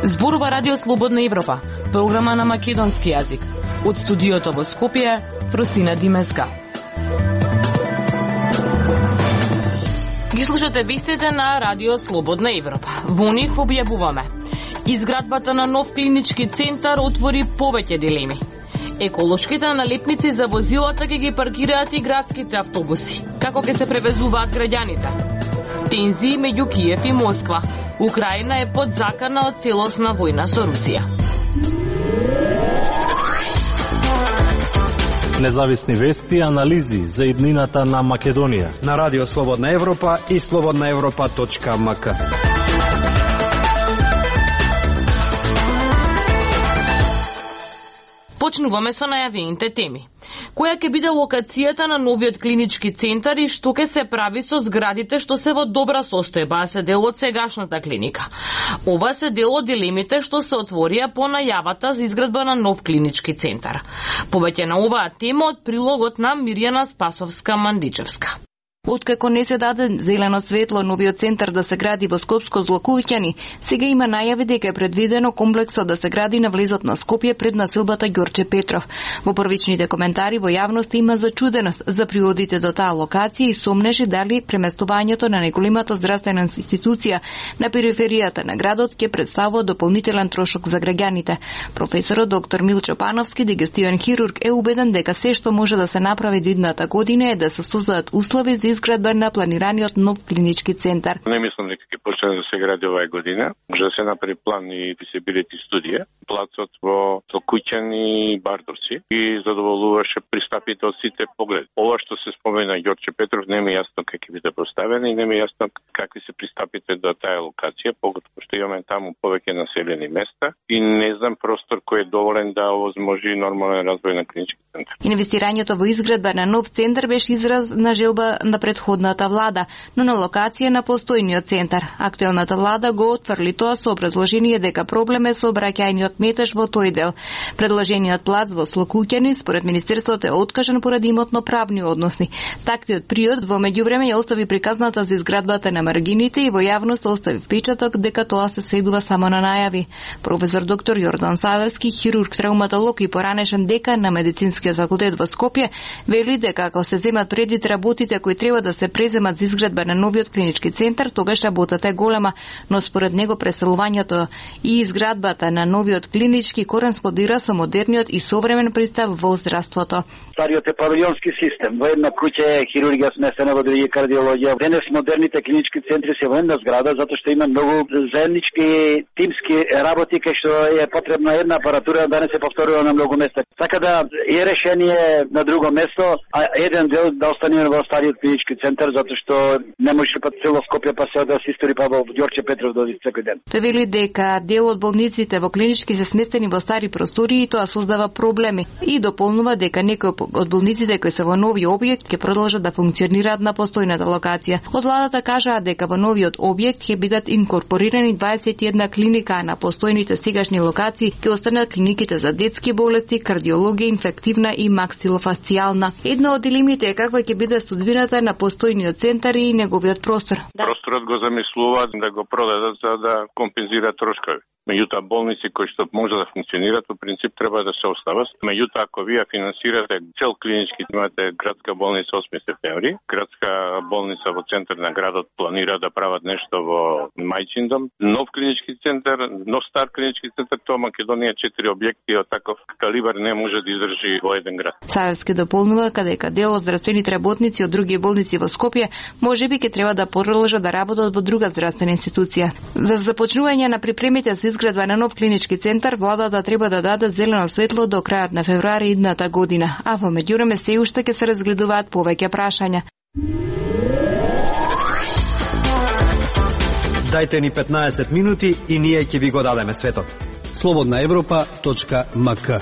Зборува Радио Слободна Европа, програма на македонски јазик. Од студиото во Скопје, Фросина Димеска. Ги слушате вестите на Радио Слободна Европа. Во нив објавуваме: изградбата на нов клинички центар отвори повеќе дилеми. Еколошките налепници за возилата ќе ги паркираат и градските автобуси. Како ќе се превезуваат граѓаните? Тензии меѓу Киев и Москва. Украина е под закана од целосна војна со Русија. Независни вести и анализи за иднината на Македонија на Радио Слободна Европа и slobodnaevropa.mk. Почнуваме со најавените теми. Која ќе биде локацијата на новиот клинички центар и што ќе се прави со зградите што се во добра состојба, а се дел од сегашната клиника? Ова се дел од дилемите што се отворија по најавата за изградба на нов клинички центар. Повеќе на оваа тема од прилогот на Мирјана Спасовска-Мандичевска. Откако не се даде зелено светло новиот центар да се гради во Скопско Злокуќани, сега има најави дека е предвидено комплексот да се гради на влезот на Скопје пред населбата Ѓорче Петров. Во првичните коментари во јавноста има зачуденост за приодите до таа локација и сомнежи дали преместувањето на неголемата здравствена институција на периферијата на градот ќе представува дополнителен трошок за граѓаните. Професорот доктор Милчо Пановски, дигестивен хирург, е убеден дека се што може да се направи до идната година е да се создадат услови за изградба на планираниот нов клинички центар. Не мислам дека ќе почне да се гради оваа година. Може да се направи план и физибилити студија. Плацот во Злокуќани и Бардовци и задоволуваше пристапите од сите погледи. Ова што се спомена Ѓорче Петров не ми е јасно како ќе биде поставено и не ми е јасно какви се пристапите до таа локација, поготово што имаме таму повеќе населени места и не знам простор кој е доволен да овозможи нормален развој на клинички центар. Инвестирањето во изградба на нов центар беше израз на желба на предходната влада, но на локација на постојниот центар. Актуелната влада го отфрли тоа со образложение дека проблем е со обраќајниот метеж во тој дел. Предложениот плац во Злокуќани според министерството е откажан поради имотно-правни односи. Таквиот приод во меѓувреме ја остави приказната за изградбата на маргините и во јавност остави впечаток дека тоа се сведува само на најави. Професор доктор Јордан Саверски, хирург, травматолог и поранешен декан на медицинскиот факултет во Скопје, вели дека ако се земат предвид работите кои треба да се преземат за изградба на новиот клинички центар, тогаш работата е голема, но според него преселувањето и изградбата на новиот клинички кореспондира со модерниот и современ пристап во здравството. Стариот е павилионски систем. Во една куќа е хирургија сместена, во други кардиологија. Денес модерните клинички центри се во една зграда затоа што има многу заеднички тимски работи кај што е потребна една апаратура да не се повторува на многу места. Така да е решение на друго место, а еден дел да остане во стариот клинички центар затоа што не може па цело Скопје па се да се истори па во Ѓорче Петров доди секој ден. Тој вели дека дел од болниците во клинички се сместени во стари простори и тоа создава проблеми. И дополнува дека некои од болниците кои се во нови објект ќе продолжат да функционираат на постојната локација. Од владата кажаа дека во новиот објект ќе бидат инкорпорирани 21 клиника, а на постојните сегашни локации ќе останат клиниките за детски болести, кардиологија, инфективна и максилофасцијална. Една од дилемите е каква ќе биде судбината на постојниот центар и неговиот простор. Просторот го замислуваат да го продадат за да компензираат трошкови. Меѓутоа болници кои што може да функционираат по принцип треба да се остават. Меѓутоа ако вие финансирате цел клинички, имате градска болница 8 септември, градска болница во центар на градот планира да прават нешто во Мајчиндом, нов клинички центар, нов стар клинички центар, тоа Македонија 4 објекти од таков калибар не може да издржи во еден град. Саевски дополнува дека дел од здравствените работници од други болници во Скопје можеби ќе треба да продолжат да работат во друга здравствена институција. За започнување на припремите за изградба на нов клинички центар, владата треба да даде зелено светло до крајот на февруари идната година, а во меѓувреме се уште ќе се разгледуваат повеќе прашања. Дајте ни 15 минути и ние ќе ви го дадеме светот. slobodnaevropa.mk.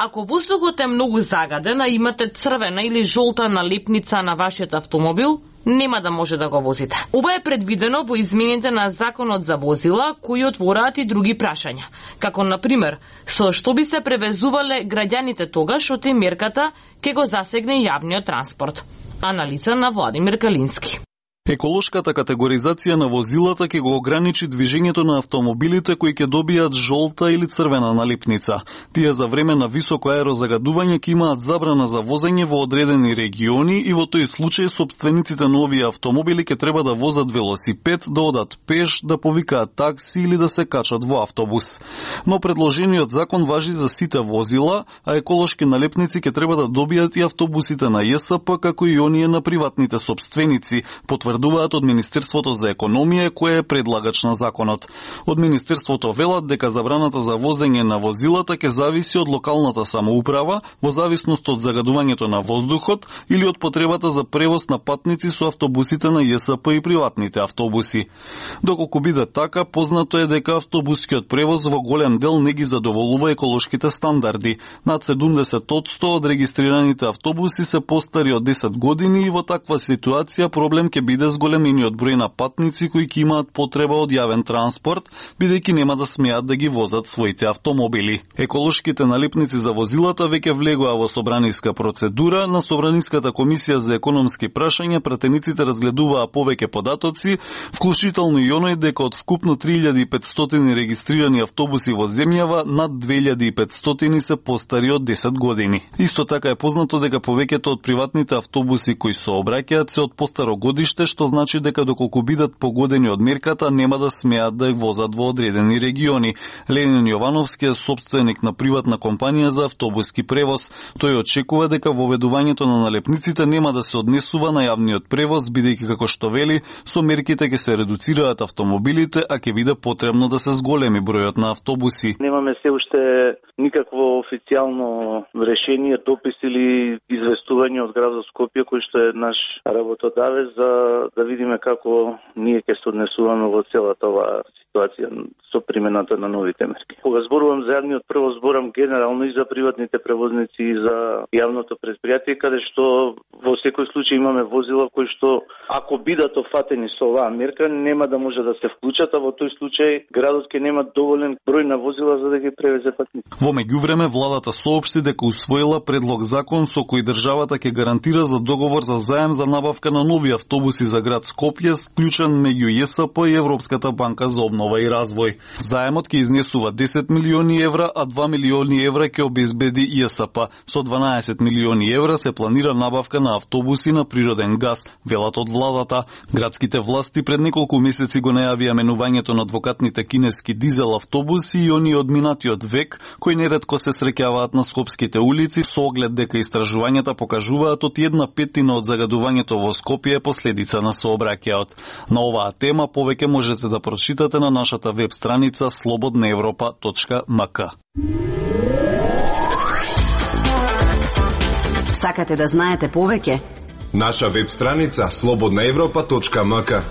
Ако воздухот е многу загаден, а имате црвена или жолта налепница на вашиот автомобил, нема да може да го возите. Ова е предвидено во измените на Законот за возила, кои отвораат и други прашања, како на пример, со што би се превезувале граѓаните тогаш што мерката ќе го засегне јавниот транспорт. Анализа на Владимир Калински. Еколошката категоризација на возилата ќе го ограничи движењето на автомобилите кои ќе добијат жолта или црвена налипница. Тие за време на високо аерозагадување ќе имаат забрана за возење во одредени региони и во тој случај собствениците на овие автомобили ќе треба да возат велосипед, да одат пеш, да повикаат такси или да се качат во автобус. Но предложениот закон важи за сите возила, а еколошки налепници ќе треба да добијат и автобусите на ЈСП, како и оние на приватните собственици, потврдуваат од Министерството за економија, кое е предлагач на законот. Од Министерството велат дека забраната за возење на возилата ќе зависи од локалната самоуправа, во зависност од загадувањето на воздухот или од потребата за превоз на патници со автобусите на ЈСП и приватните автобуси. Доколку биде така, познато е дека автобускиот превоз во голем дел не ги задоволува еколошките стандарди. Над 70% од регистрираните автобуси се постари од 10 години и во таква ситуација проблем ќе биде зголемениот број на патници кои ќе имаат потреба од јавен транспорт, бидејќи нема да смеат да ги возат своите автомобили. Еколошките налепници за возилата веќе влегоа во собраниска процедура. На Собраниската комисија за економски прашања пратениците разгледуваа повеќе податоци, вклучително и оној дека од вкупно 3500 регистрирани автобуси во земјава, над 2500 се постари од 10 години. Исто така е познато дека повеќето од приватните автобуси кои сообраќаат се од постаро годиште, што значи дека доколку бидат погодени од мерката, нема да смеат да ја возат во одредени региони. Ленин Јовановски е собственик на приватна компанија за автобуски превоз. Тој очекува дека воведувањето на налепниците нема да се однесува на јавниот превоз, бидејќи како што вели, со мерките ќе се редуцираат автомобилите, а ќе биде потребно да се зголеми бројот на автобуси. Немаме се уште никакво официјално решение, допис или известување од градот Скопје, кој што е наш работодавец, за да видиме како ние ќе се однесуваме во целата оваа ситуација со примената на новите мерки. Кога зборувам за јавниот превоз, зборам генерално и за приватните превозници и за јавното предпријатие, каде што во секој случај имаме возила кои што, ако бидат офатени со оваа мерка, нема да може да се вклучат, а во тој случај градот ќе нема доволен број на возила за да ги превезе патници. Во меѓувреме, владата соопшти дека усвоила предлог закон со кој државата ќе гарантира за договор за заем за набавка на нови автобуси за град Скопје, склучен меѓу ЈСП и Европската банка за обнова и развој. Заемот ќе изнесува 10 милиони евра, а 2 милиони евра ќе обезбеди ЈСП. Со 12 милиони евра се планира набавка на автобуси на природен газ, велат од владата. Градските власти пред неколку месеци го најавија менувањето на двокатните кинески дизел автобуси и оние од минатиот век, кои неретко се среќаваат на скопските улици, со оглед дека истражувањата покажуваат од 1/5 од загадувањето во Скопје е последица на сообраќајот. На оваа тема повеќе можете да прочитате на нашата веб страница slobodnaevropa.mk. Сакате да знаете повеќе? Наша веб страница slobodnaevropa.mk.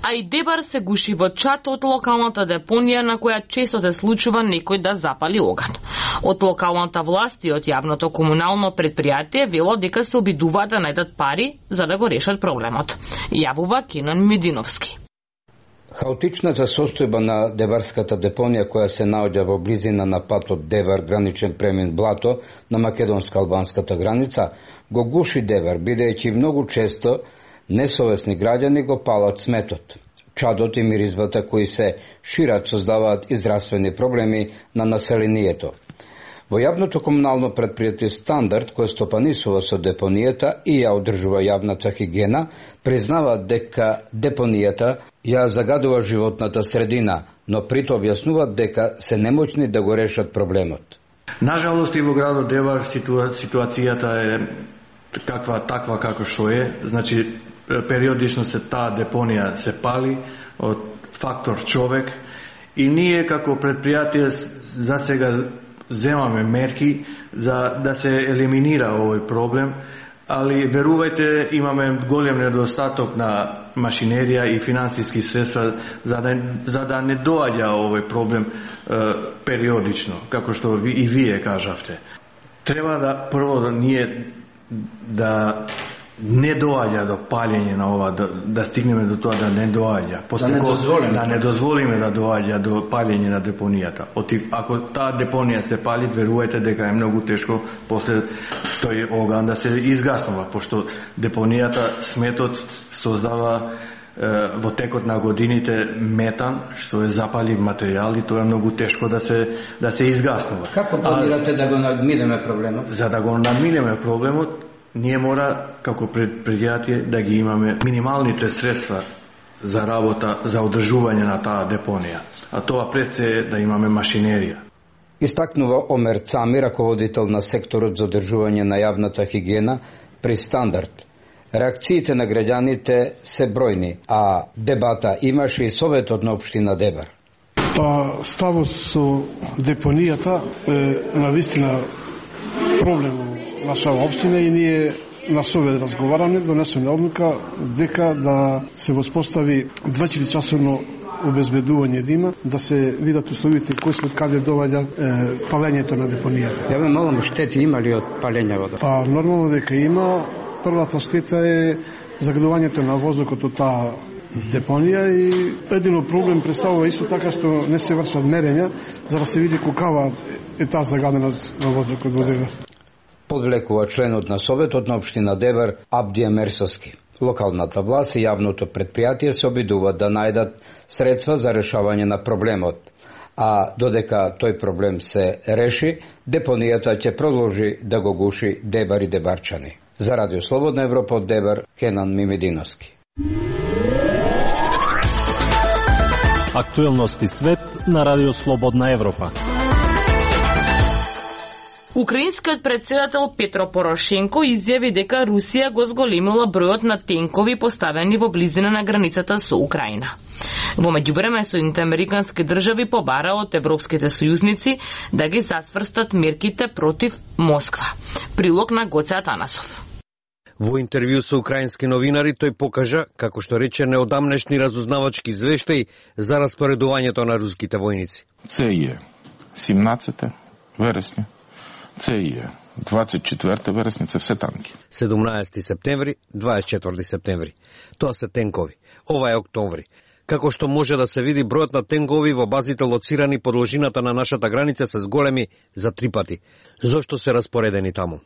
А и Дебар се гуши во чат од локалната депонија на која често се случува некој да запали оган. Од локалната власт и од јавното комунално предпријатие вело дека се обидуваат да најдат пари за да го решат проблемот. Јавува Кенан Мединовски. Хаотичната состојба на Дебарската депонија, која се наоѓа во близина на патот Дебар граничен премин Блато на македонско-албанската граница, го гуши Дебар, бидејќи многу често несовесни граѓани го палат сметот. Чадот и миризбата кои се шират создаваат и здравствени проблеми на населението. Во јавното комунално предпријатие Стандард, кој стопанисува со депонијата и ја одржува јавната хигиена, признаваат дека депонијата ја загадува животната средина, но прито објаснуваат дека се немоќни да го решат проблемот. Нажалост и во градот Дебар ситуацијата е таква како што е, значи периодично се таа депонија се пали од фактор човек и ние како предпријатие за сега земаме мерки за да се елиминира овој проблем. али верувајте, имаме голем недостаток на машинерија и финансиски средства за да не доаѓа овој проблем периодично, како што и вие кажавте. Треба да прво да ние да не доаѓа до палење на ова, да стигнеме до тоа да не доаѓа. Да не дозволиме да доаѓа до палење на депонијата. Ако таа депонија се пали, верувајте дека е многу тешко после тој оган да се изгаснува, пошто депонијата, сметот создава во текот на годините метан, што е запалив материјал и тоа е многу тешко да се изгаснува. Како планирате да го надминеме проблемот? За да го надминеме проблемот, ние мора, како предпријатие, да ги имаме минималните средства за работа, за одржување на таа депонија. А тоа пред се е да имаме машинерија. Истакнува Омер Цами, раководител на секторот за одржување на јавната хигиена при Стандард. Реакциите на граѓаните се бројни, а дебата имаше и Советот на општина Дебар. Ставот со депонијата е навистина проблем во нашава општина и ние на Совет разговараме, донесеме одлука дека да се воспостави 24-часовно обезбедување дима, да се видат условите кои се од каде доаѓа палењето на депонијата. Ја ме малам, штети има ли од палењето? Нормално дека има. Првата штета е загадувањето на воздухот од таа депонија и едино проблем представува исто така што не се вршат мерења за да се види колкава е таа загаденост на воздухот во Дебар. Подвлекува членот на Советот на општина Дебар Абдија Мерсаски. Локалната власт и јавното предпријатие се обидуваат да најдат средства за решавање на проблемот, а додека тој проблем се реши, депонијата ќе продолжи да го гуши Дебар и дебарчани. За Радио Слободна Европа од Дебар, Кенан Мимединовски. Актуелности свет на Радио Слободна Европа. Украинскиот председател Петро Порошенко изјави дека Русија го зголемила бројот на тенкови поставени во близина на границата со Украина. Во меѓувреме, Соединените американски држави побара од европските сојузници да ги засврстат мерките против Москва. Прилог на Гоце Атанасов. Во интервју со украински новинари тој покажа, како што рече, неодамнешни разузнавачки извештаи за распоредувањето на руските војници. Це е 17 вересня, це е 24 вересня, це все танки. 17 септември, 24 септември. Тоа се тенкови. Ова е октомври. Како што може да се види, бројот на тенкови во базите лоцирани по должината на нашата граница се зголеми за 3 пати. Зошто се распоредени таму?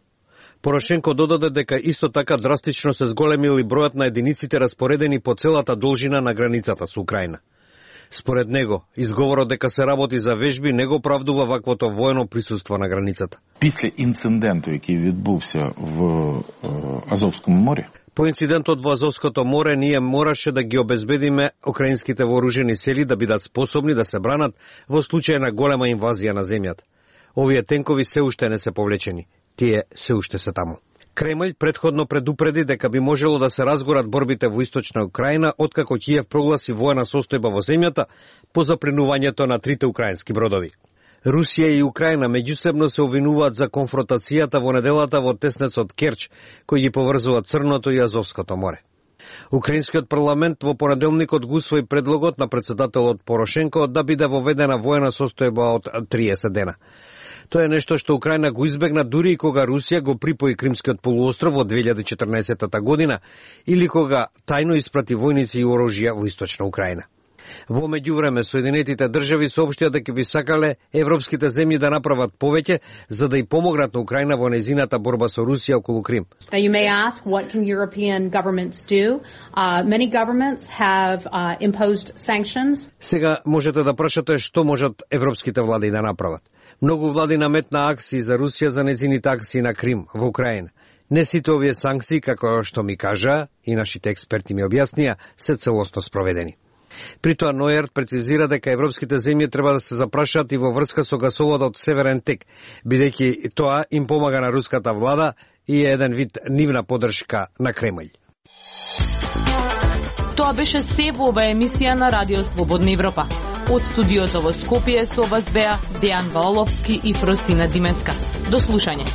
Порошенко додаде дека исто така драстично се зголемил и бројот на единиците распоредени по целата должина на границата со Украина. Според него, изговорот дека се работи за вежби не го правдува ваквото воено присуство на границата. Після інциденту, який відбувся в Азовскому морі, по инцидентот во Азовското море ние мораше да ги обезбедиме украинските вооружени сили да бидат способни да се бранат во случај на голема инвазија на земјата. Овие тенкови се уште не се повлечени. Тие се уште се таму. Кремљ предходно предупреди дека би можело да се разгорат борбите во источна Украина откако Киев прогласи воена состојба во земјата по запленувањето на 3 украински бродови. Русија и Украина меѓусебно се обвинуваат за конфронтацијата во неделата во теснецот Керч, кој ги поврзува Црното и Азовското море. Украинскиот парламент во понеделникот го усвои предлогот на председателот Порошенко да биде воведена воена состојба од 30 дена. Тоа е нешто што Украина го избегна дури и кога Русија го припои Кримскиот полуостров во 2014 година или кога тајно испрати војници и оружја во источна Украина. Во меѓувреме, Соединетите држави соопштија дека би сакале европските земји да направат повеќе за да и помогнат на Украина во нејзината борба со Русија околу Крим. Now you may ask what can European governments do? Many governments have imposed sanctions. Сега можете да прашате што можат европските влади да направат. Многу влади наметна акции за Русија за нејзините акции на Крим во Украина. Не сите овие санкции, како што ми кажа и нашите експерти ми објаснија, се целосно спроведени. При тоа Ноерт прецизира дека европските земји треба да се запрашаат и во врска со гасоводот Северен тек, бидејќи тоа им помага на руската влада и е еден вид нивна поддршка на Кремљ. Тоа беше се во оваа емисија на Радио Слободна Европа. Од студиото во Скопје со вас беа Дејан Валовски и Фростина Димеска. До слушање.